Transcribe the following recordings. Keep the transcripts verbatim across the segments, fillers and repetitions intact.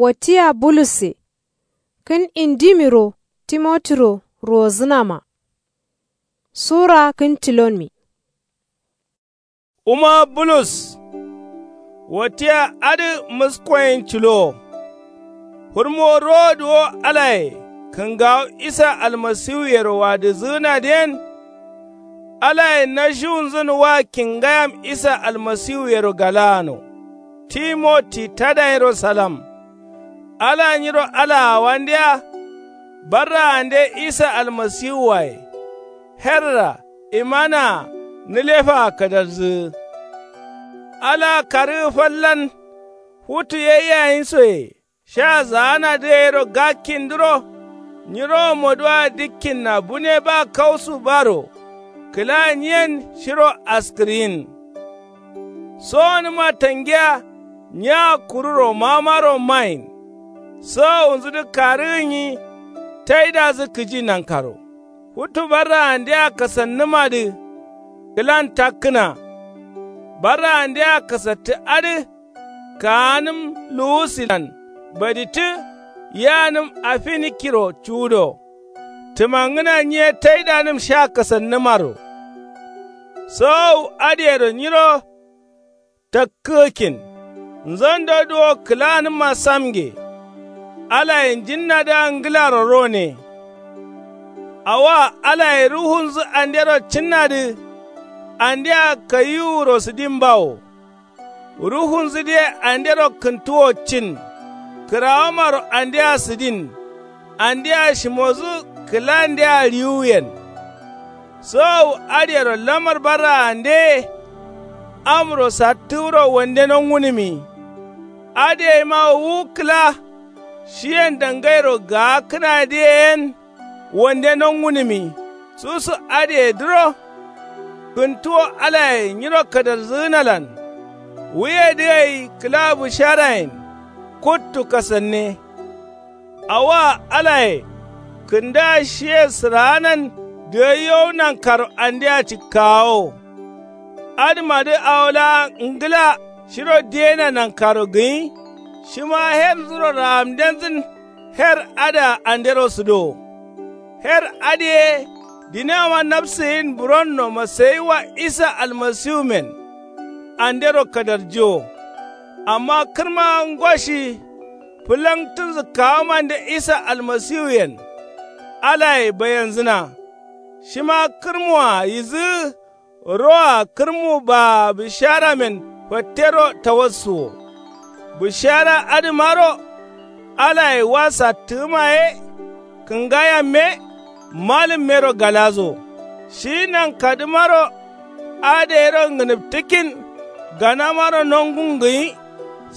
Wattiya bulusse. Kǝn indimiro timotiro ruwozǝnama. Sura kǝn tilonmi. Wuma bulus. Wattiya adǝ muskoyen cilo. Fǝrmo rowodu wo alaye kǝngawo isa almasiwuyero wadǝzǝgǝnadǝyen. Alaye nashiwunzǝn wa kingayam isa almasiwuyero galaano. Timoti tadayinro salam. Ala nyiro alaawandeya. Barraande isa almasiwuwaye. Herra imanaa nǝlefaa kadarzǝgǝ. Alaa karǝgǝ fallan. Futu ye yayinsoye sha zaanadǝ gairo gakkindǝro. Nyiro moduwa dikkinna bune ba kausu baro. Kǝla nyiyen shiro askǝryin. Sowonǝma tangiya. Nya kuru romamaro mayin. Sowowunzudǝ karǝgǝnyi. Taidazǝ kǝji nankaro. Futu barraandea kasannǝmadǝ. Kǝlan takkǝna. Barraandea kasattǝ adǝ. Kaanǝm luwusilan baditǝ. Yanǝm afinikkiro cuwudo. Tǝmangǝna nyiye taidanǝm sha kasannǝmaro. Sowowu adǝyero nyiro. Takkǝgǝkkin. Nzondo duwo kǝlanǝmma samge. Alaye njinnadǝa ngǝlaro rone. Awoa alaye ruhunzǝ andero cǝnnadǝ. Andea kayiwuro sǝdimbawo. Ruhunzǝdǝye andero kǝntuwo cin. Kǝrawomaro andea sǝdin. Andea shimozǝ kǝlandea riwuyen. Sowowu adǝyero lamar barraandeye. Amro sattǝwuro wande nongunǝmi. Adǝ yeima wu kǝla. Shiyen dangairo gaakkǝnadǝye yen. Wande nongunǝmi. Susu adǝyedǝro. Kǝntuwo alaye nyiro kadarzǝgǝnalan. Wuyedǝ gai kǝla busharayen. Kuttu kasanne. Awoa alaye. Kǝndaa shiye sǝraanan. Dǝgaiyowu nankaro andea cikkawowo. Adǝmadǝ awo laa ngǝla shiro diyena nankaro gǝnyi. Shima herzuro raamdenzǝn. Her adǝa andero sǝdowo. Her adǝ ye. Dinama nafsǝ yin buronno masayi wa isa almasiwumen. Andero kadarjiwo. Amma kǝrma ngoshi. Fǝlangtǝnzǝ kawamande isa almasiwuyen. Alaye bayenzǝna. Shima kǝrmuwa yizǝgǝ. Roa kǝrmu baa bǝsharamen fattero tawassuwo. Bǝshara adǝmaro. Alaye wa sattǝgǝma ye. Kǝngayamme. Malǝmmero galazo. Shi nankadǝmaro. Adǝ yero ngǝnǝptǝkkin. Ganamaro nongungǝnyi.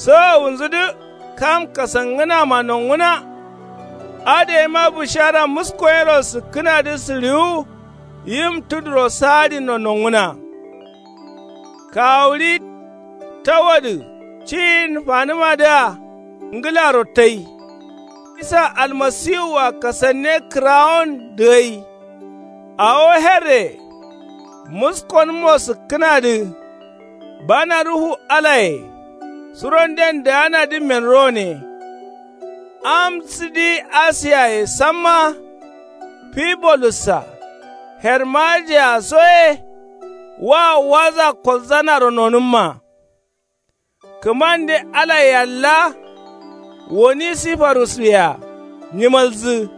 Sowowunzudǝ. Kam kasangǝnama nonguna. Adǝ yema bǝshara muskoyero sǝkkǝnadǝ sǝɍiwu. Yim tuduro saadinno nonguna. Kawuɍi. Tawadǝ. Ciyin fanǝmadǝa. Ngǝlaro tai. Isa almasiwua kasanne kǝrawon dǝgai. Awo herre. Muskonǝmmo sǝkkǝnadǝ. Bana ruhu alaye. Suronden daanadǝmmen rone. Am sǝdi asiyaye samma. Fibolussa. Hermajiya so ye. Wa waza kolzanaro nonǝmma. Kǝmande ala yalla. Woni sifarus wea. Nyimalzǝ.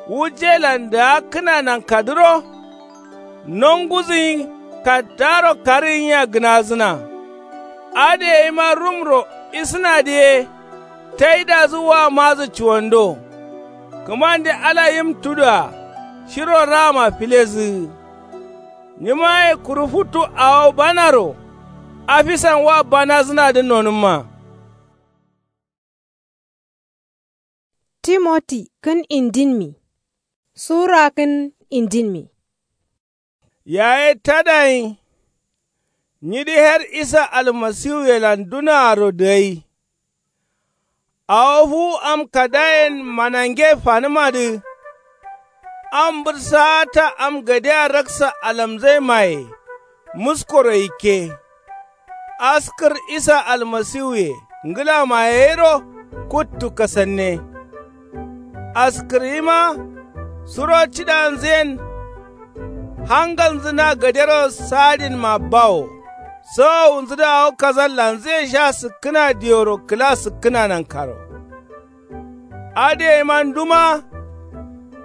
Wujjelan daakkǝna nankadǝro. Nongudǝnyi kaddaro karǝgǝnya gǝnadǝna. Adǝ yeima rumro isǝnadǝ ye. Taidadǝ wa madǝ cuwando. Kǝmande ala yim tudua. Shiro raama filedǝgǝ. Nyimaye kuru futu awo banaro. Afisan wa banadǝnadǝ nonǝmma. Timoti kǝn indinmi. Sura kǝn indinmi. Yaye tadayin. Nyidǝ her isa almasiwuyelan dunaaro dǝgai. Awo fuwu am kadayen manange fanǝmadǝ. Am mbǝrsaata am gadea raksa alamzaimaye. Muskoro yikke. Askǝr isa almasiwuye ngǝlamaye gairo. kuttu kasanne. Askǝrima suro cidanzǝyen hangalnzǝ na gadero saadinma bawo. Sowowunzǝ dǝ awo kazallanzǝye sha sǝkkǝna diworo kǝla sǝkkǝna nankaro. Adǝ yeima nduma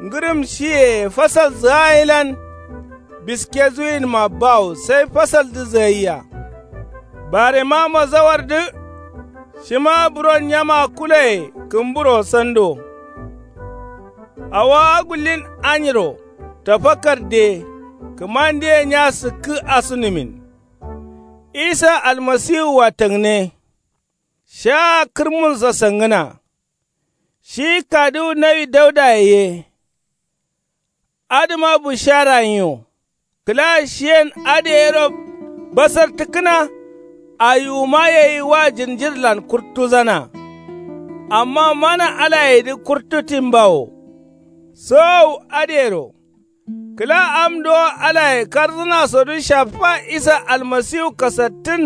ngǝrǝm shiye fasalzǝ ayilan biske zuwinma bawo sai fasaldu zǝgaiya. Barema mazawardǝ shima buron nyama kuloye kǝmburo sando. Awo agullin anyiro tafakarde kǝmandeye nya sǝkkǝ asunumin. Isa almasiwua tangne. Shaa kǝrmunsa sangǝna. Shi kaduwu nawi daudaye ye. Adǝma bushara nyi wo. Kǝla shiyen adǝ yero basartǝkkǝna. Ayiwuma yeyi wa jinjirlan kurtuzana. Amma mana alayedǝ kurtutin bawo. Sowowu adǝyero kǝla am dowo alaye karzǝnasodǝ shaffa isa almasiwu kasattǝn.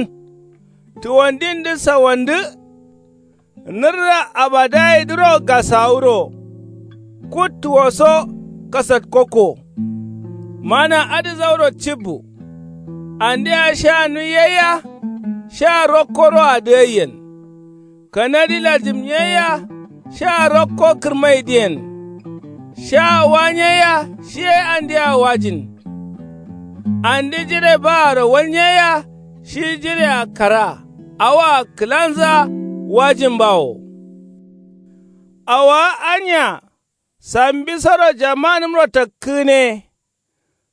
Tuwandindǝ sawandǝ. Nǝrra abadayedǝro gasawuro. Kuttuwoso kasatkokko. Mana adǝ zauro cibbu. Andea sha nuiyaiya. Sha rokkoroadǝ aiyen. Kanadi lajimnyaiya. Sha rokko kǝrmaidǝyen. Sha wanyaiya shiye andea wajin. Andi jire baaro walnyaiya. Shi jirea kara awoa kǝlanza wajin bawo. Awowa anya sambisoro jamanǝmro takkǝgǝne.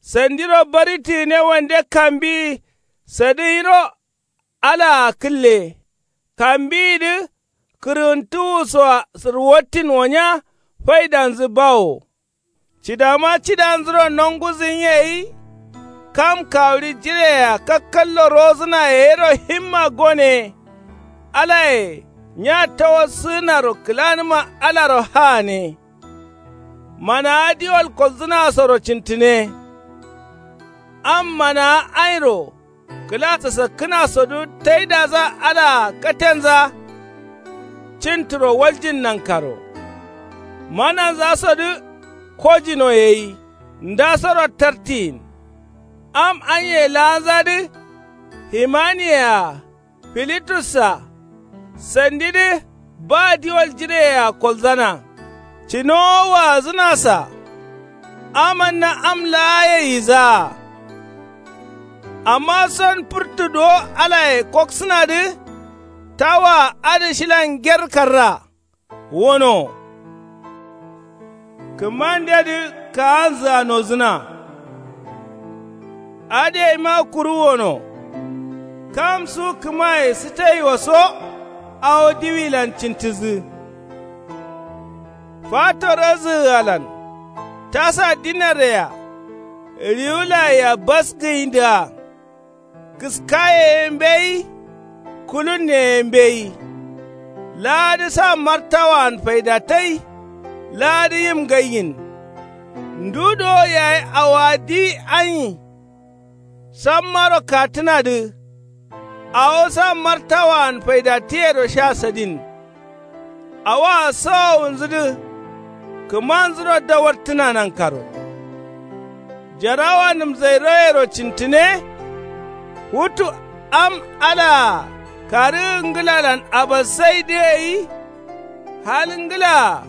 Sandiro baritǝgǝne wande kambiyi sadǝ yiro. Alaa kǝlle kambiyidǝ kǝrǝntǝwusoa sǝrwattin wonya faidanzǝ bawo. Cidama cidanzuro nonguzǝnye gai. Kam kawuɍi jireyea kakkallo rozǝnaye yero himma gone. Alaye nya tawassǝgǝnaro kǝlanǝma alaro haane. Manawa diwal kolzǝnasoro cintǝne. Am manawa airo kǝla sasakkǝnasodǝ taidaza alaa katenza. Cintǝro waljin nankaro mananzasodǝ kojino gai. Ndasoro tartiyin am anye laanzadǝ. Himaniyea filitus-a sandidǝ ba diwal jireyea kolzana. Cinowo waazǝnasa amanna am laa yaizaa. Amma son fǝrtu duwo alaye koksǝnadǝ. Tawoa adǝ shilan nger karra wono. Kǝmandedǝ kaanzǝa nozǝna. Adǝ yaima kuru wono. Kam su kǝmaye sǝtaiwoso awo diwilan cintǝzǝ. Fato razǝgǝalan tasa dinarreyea riwulayea bas gǝyindǝa. Kǝskaye ye mbeyi. Kulunne ye mbeyi. Laadǝ sa martawaan faidatai. Laadǝ yim gaiyin. Ndu dowo yayi awowa di anyi. Sammaro katǝnadǝ. Awo sa martawaan faidatǝyero sha sadin. Awoa sowowunzudǝ kǝmanzuro dawartǝna nankaro. Jarawanǝm zairoyero cintǝne. Futu am alaa karǝgǝ ngǝlalan abasaidǝ gai. Hal ngǝlaa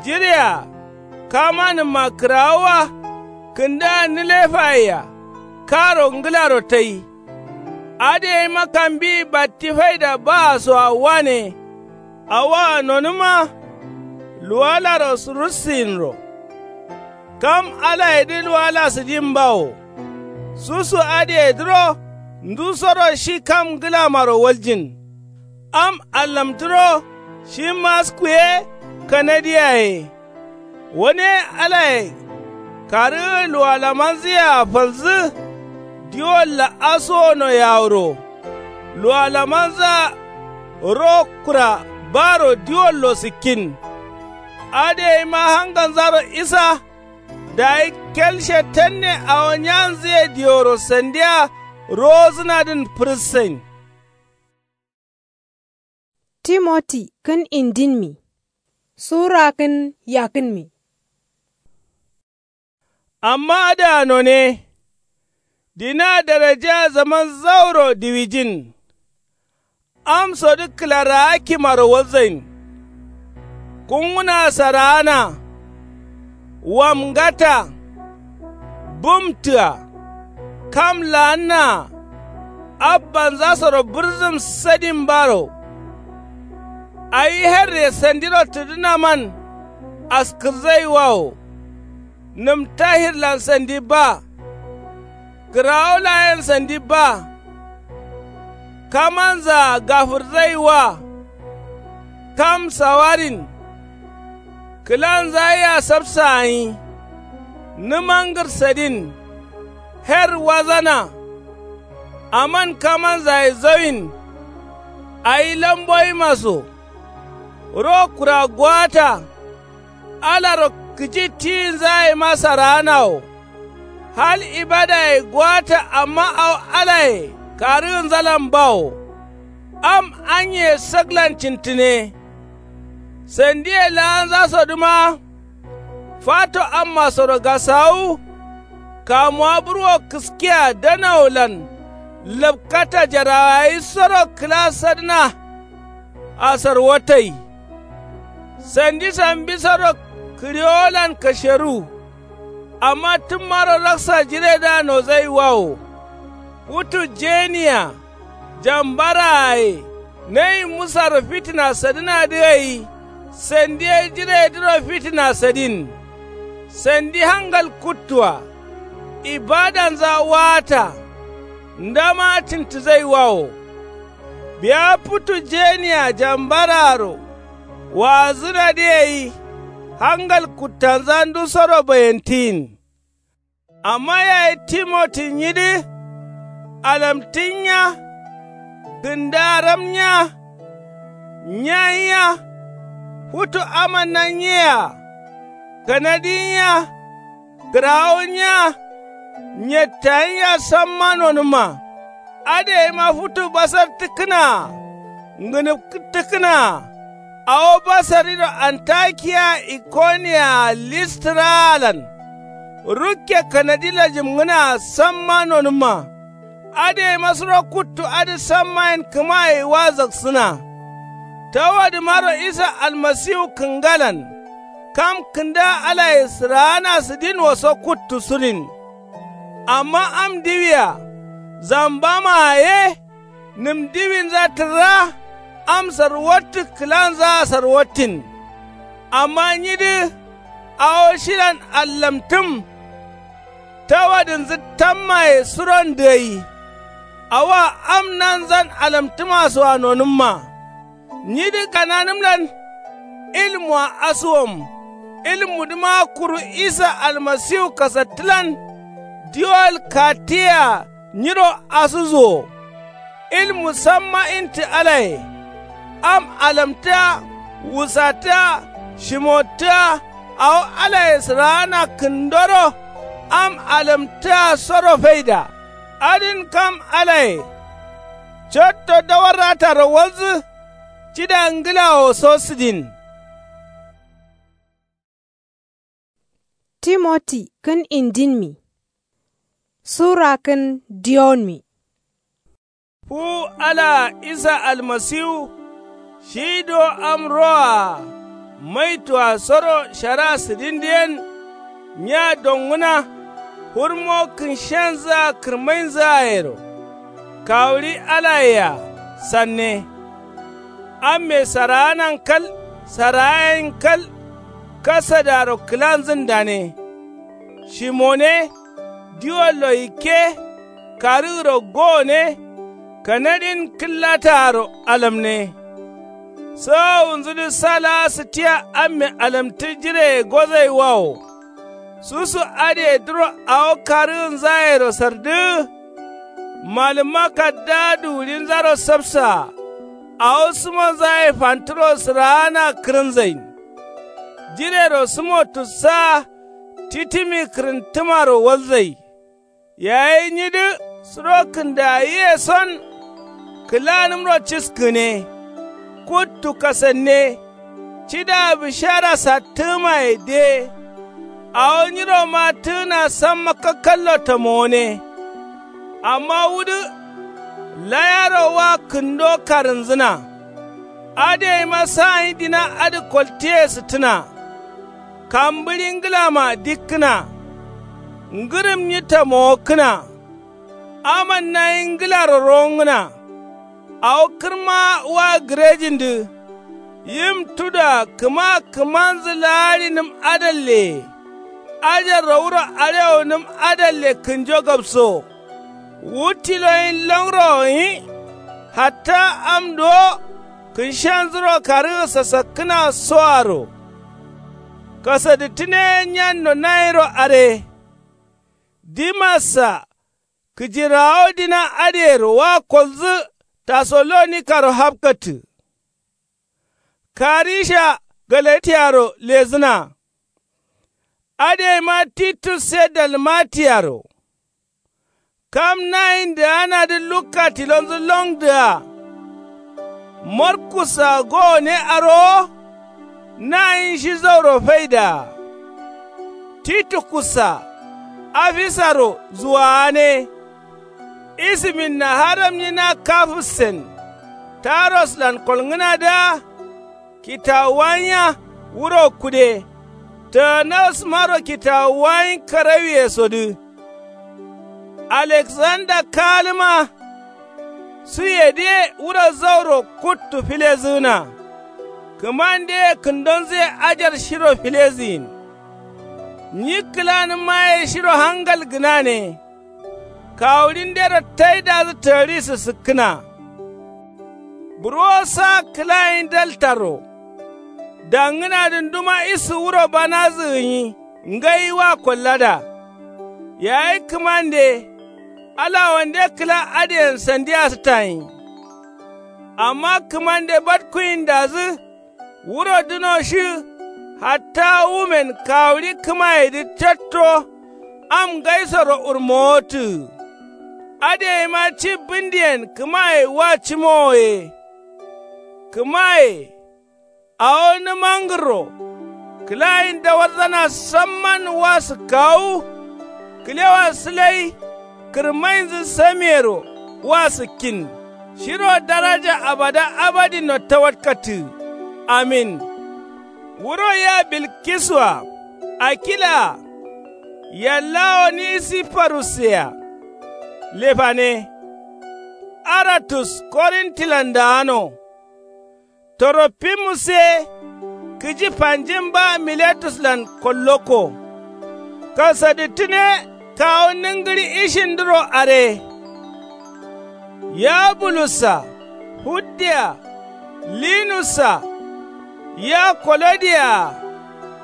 jirea kamanǝmma kǝrawowa. Kǝndaa nǝlefayea karo ngǝlaro tai. Adǝ yaima kambiyi batti faida baasoa wane. Awoa nonǝma luwalaro russǝyinro. Kam alayedǝ luwala sǝdin bawo. Susu adǝyedǝro ndusoro shi kam ngǝlamaro waljin. Am allamtǝro shi masku ye kanadi yaye. Wane alaye karǝgǝ luwalamanzǝyea falzǝ. Diwolla asuwono yawuro luwalamanzǝa ro kura baro diwollo sǝkkin. Adǝ yaima hanganzaro isa. Dayi kel shetanne awo nyanzǝye diworo sandiya rowozǝnadǝn fǝrǝssain. Timoti kǝn indinmi. Sura kǝn yakǝnmi. Amma adǝa none. Dina darajea zaman zauro diwijin. Amsodǝ kǝlarawa kimaro walzain. Kunguna saraana. Wamngata. Bǝmtǝa. Kam laannaa. Abbanzasoro bǝrzǝm sadin baro. Awi herre sandiro tǝdǝnaman. Askǝrzaiwawo. Nǝm tahirlan sandi ba. Kǝrawo layen sandi ba. Kamanzaa gafǝrzaiwa. Kam sawarin. Kǝlanza yea sabsa gǝnyi. Nǝmangǝr sadin. Her wazana. Aman kamanzaye zauyin. Awi lamboyima so. Ro kura gowata. Alaro kǝji tiyinzayema saraana wo. Hal ibadaye gowata amma awo alaye karǝgǝnzalan bawo. Am anye saklan cintǝne. Sandiye laanzasodǝma. Fato ammasoro gasawu. Kamuwa burwo kǝskiya danawolan. Lapkata jarawayi soro kǝla sadǝna. Asarwatai. Sandi sambisoro kǝriwolan kasheru. Amma tǝmmaro raksa jiredǝa nozaiwawo. Futu jeniya. Jambaraaye. Nayi musaro fitina sadǝnadǝ gai. Sandiye jiredǝro fitina sadin. Sandi hangal kuttua. Ibadanza waata. Ndama cǝntǝzaiwawo. Biya futu jeniya jambaraaro. Waazǝnadǝ gai. Hangal kuttanza ndusoro bayantǝyin. Amma yayi timoti nyidǝ. Alamtǝ nya. Kǝndaram nya. Nya nya. Futu amanna nyea. Kanadi nya. Kǝrawu nya. Nyettayi nya samma nonǝmma. Adǝ gaima futu basartǝkkǝnaa. Ngǝnǝpkǝttǝkkǝnaa. Awo basariro antakiya ikoniyaa listiraalan. Rukke kanadi lajimngǝnaa samma nonǝmma. Adǝ gaima suro kuttu adǝ sammayen kǝma gaiwa zaksǝna. Tawadǝmaro isa almasiwu kǝngalan. Kam kǝnda alaye sǝraana sǝdinwo so kuttu sudin. Amma am diwia. Zambamaa ye. Nǝm diwinza tǝrra. Am sarwattǝ kǝlanzaa sarwattin. Amma nyidǝ. Awo shilan allamtǝm. Tawadǝnzǝ tammaye suron dǝgai. Awoa am nanzan alamtǝmasoa nonǝmma. Nyidǝ kananǝmlan. Ilmua asuwom. Ilmudǝma kuru isa almasiwu kasattǝlan. Diwol katiyea nyiro asusuwo. Ilmu samma intǝ alaye. Am alamtǝa. Wusatǝa. Shimottǝa. Awo alaye sǝraana kǝndoro. Am alamtǝa soro faida. Adǝn kam alaye. Cotto dawarrataro walzǝ. Cida ngǝlawo so sǝdin. Timoti kǝn indinmi. Sura kǝn diyonmi. Fuwu alaa isa almasiwu. Shi do am roa. Maitua soro shara sǝdindǝ yen. Nya dongǝna. Fǝrmo kǝnshenzǝa kǝrmainzǝa yero. Kawuɍi alayea sanne. Amme saraanan kal saraayen kal. Kasadaro kǝlanzǝn dane. Shimone. Diwollo yikke. Karǝgǝro gowone. Kanadin kǝllataaro alamne. Sawawunzudǝ sa laa sǝtiya amme alamtǝ jireye gozaiwawo. Susu adǝye duro awo karǝgǝnzayero sardǝgǝ. Malǝmma kaddaa duwuɍinzaro sapsaa. Awo sǝmonzaye fanturo sǝraana kǝrǝnzain. Jirero sǝmo tussaa. Titimi kǝrǝntǝmaro walzai. Yayi nyidǝ suro kǝndayiye son. Kǝlanǝmro ciskǝne. Kuttu kasanne. Cidaa bǝshara sattǝgǝmaye de. Awo nyiro mattǝgǝna samma kakkallo tamowone. Amma wudǝ layaro wa kǝndo karǝnzǝna. Adǝ gaima sa gǝnyi dina adǝ koltiye sǝttǝna. Kambǝɍi ngǝlama dikkǝna. Ngǝrǝm gǝnyi tamowokkǝna. Aman nayi ngǝlaro rowongǝna. Awo kǝrma wa gǝrejindǝ. Yim tuda kǝma kǝmanzǝ laa gǝnǝm adalleye. Ajarro wuro arewo gǝnǝm adalle kǝnjo gabso. Wu tilo gǝnyi longro gǝnyi. Hatta am duwo kǝnshanzuro karǝgǝ sasakkǝna soaro. Kasadǝttǝne nyanno nayiro are. Dimassa kǝjirawo dina adǝyero wa kolzǝ. Tasalonikaro hapkattǝ. Karisha galatiyaro lezǝna. Adǝ gaima titus ye dalmatiyaro. Kam nayin dǝganadǝ lukka tilonzǝ longdǝa. Markus-a gowone arowo. Nayin shi zauro faidaa. Titukus-a afisaro zuwagane. Isimin naharam gǝnyi na kafǝssen taroslan kolngǝnadǝa. Kitawuwa gǝnya wuro kude. Tǝgǝnasmaro kitawuwa gǝnyi karawiyesodǝ. Aleksanda kaalǝma. Suyedǝye wuro zauro kuttu filezǝgǝna. Kǝmandeye kǝndonzǝye ajar shiro filezǝgǝyin. Nyi kǝlanǝmmaye shiro hangal gǝnane. Kawuɍindero taidazǝ tagǝɍi sǝsǝkkǝna. Burwo sa kǝla gǝnyi daltaro. Dangǝnadǝ nduma isu wuro banazǝ gǝnyi ngai wa kollada. Yayi kǝmande. Ala wande kǝla adǝyen sandi asǝtta gǝnyi. Amma kǝmande batkuwindazǝ. Wuro duno shi hatta wumen kawuɍi kǝmayedǝ catto. Am ngaisoro urmowotǝgǝ. Adǝ gaima ci bǝndiyen kǝmaye wa cimowo ye. Kǝmaye awo nǝmangǝrro. Kǝla gǝnyi dawarzana samman wa sǝkkawu. Kǝlewa sǝlai. Kǝrmainzǝ samiyero wa sǝkkin. Shiro daraja abada abadinno tawatkattǝ. Amin. Wuro yea bilkisu-a akila-a. Yallawo nisifarusse-a. Lefane. Aratus korintilan daano. Torofimus ye kǝji fanjin ba miletuslan kollokko. Kasadǝttǝne kawu nǝngǝɍi ishindǝro are. Ya bulus-a fudde-a linus-a ya kolodiya-a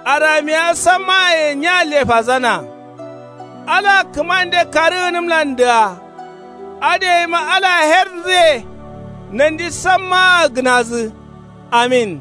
aramiya sammaye nya lefazana. Ala kǝmande karǝgǝnǝmlandǝa. Adǝ gaima ala hernzǝye nandi sammaa gǝnazǝ. Amin.